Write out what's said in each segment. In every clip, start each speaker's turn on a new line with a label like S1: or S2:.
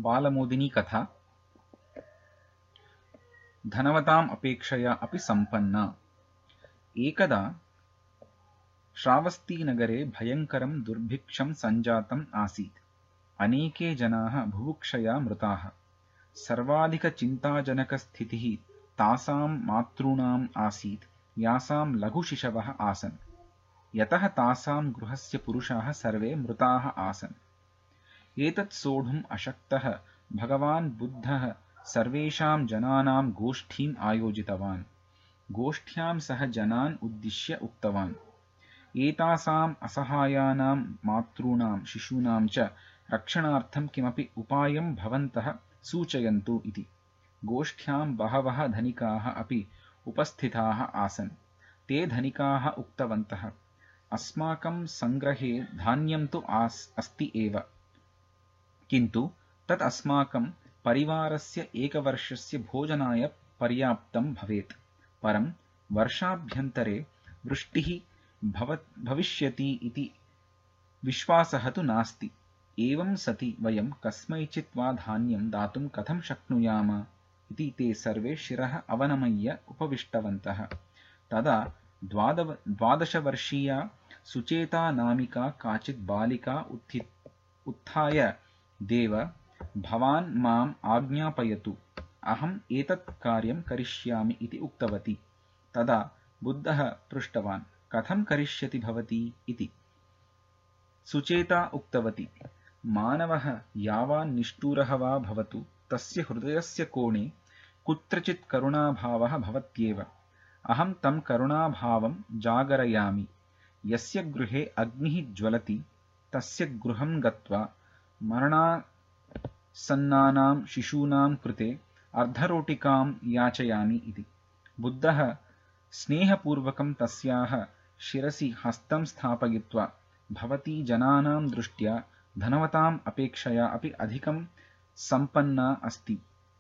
S1: बालमोदिनी कथा। धनवताम् अपेक्षया अपि सम्पन्ना। एकदा श्रावस्तीनगरे भयङ्करं दुर्भिक्षं सञ्जातम् आसीत्। अनेके जनाः बुभुक्षया मृताः। सर्वाधिकचिन्ताजनकस्थितिः तासां मातॄणाम् आसीत् यासां लघुशिशवः आसन्, यतः तासां गृहस्य पुरुषाः सर्वे मृताः आसन्। एतत् सोढुम् अशक्तः भगवान् बुद्धः सर्वेषां जनानां गोष्ठीम् आयोजितवान्। गोष्ठ्यां सः जनान् उद्दिश्य उक्तवान्, एतासाम् असहायानां मातॄणां शिशूनां च रक्षणार्थं किमपि उपायं भवन्तः सूचयन्तु इति। गोष्ठ्यां बहवः धनिकाः अपि उपस्थिताः आसन्। ते धनिकाः उक्तवन्तः, अस्माकं सङ्ग्रहे धान्यं तु अस्ति एव, किन्तु तत् अस्माकं परिवारस्य एकवर्षस्य भोजनाय पर्याप्तं भवेत्। परं वर्षाभ्यन्तरे वृष्टिः भविष्यति इति विश्वासः तु नास्ति। एवं सति वयं कस्मैचित् वा धान्यं दातुं कथं शक्नुयाम इति ते सर्वे शिरः अवनमय्य उपविष्टवन्तः। तदा 12वर्षीया सुचेता नामिका काचित् बालिका उत्थाय, देव, भवान् माम् आज्ञापयतु, अहम् एतत् कार्यं करिष्यामि इति उक्तवती। तदा बुद्धः पृष्टवान्, कथं करिष्यति भवती इति। सुचेता उक्तवती, मानवः यावान् निष्ठुरः वा भवतु, तस्य हृदयस्य कोणे कुत्रचित् करुणाभावः भवत्येव। अहं तं करुणाभावं जागरयामि। यस्य गृहे अग्निः ज्वलति तस्य गृहं गत्वा मरणासन्नानां शिशूनां कृते अर्धरोटिकां याचयामि इति। बुद्धः स्नेहपूर्वकं तस्याः शिरसि हस्तं स्थापयित्वा, भवती जनानां दृष्ट्या धनवताम् अपेक्षया अपि अधिकं सम्पन्ना अस्ति।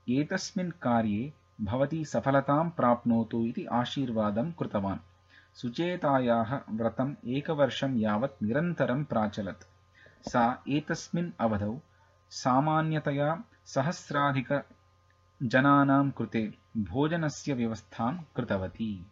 S1: एतस्मिन् कार्ये भवती सफलतां प्राप्नोतु इति आशीर्वादं कृतवान्। सुचेतायाः व्रतम् एकवर्षं यावत् निरन्तरं प्राचलत्। सा एतस्मिन् अवधौ सामान्यतया सहस्राधिकजनानां कृते भोजनस्य व्यवस्थां कृतवती।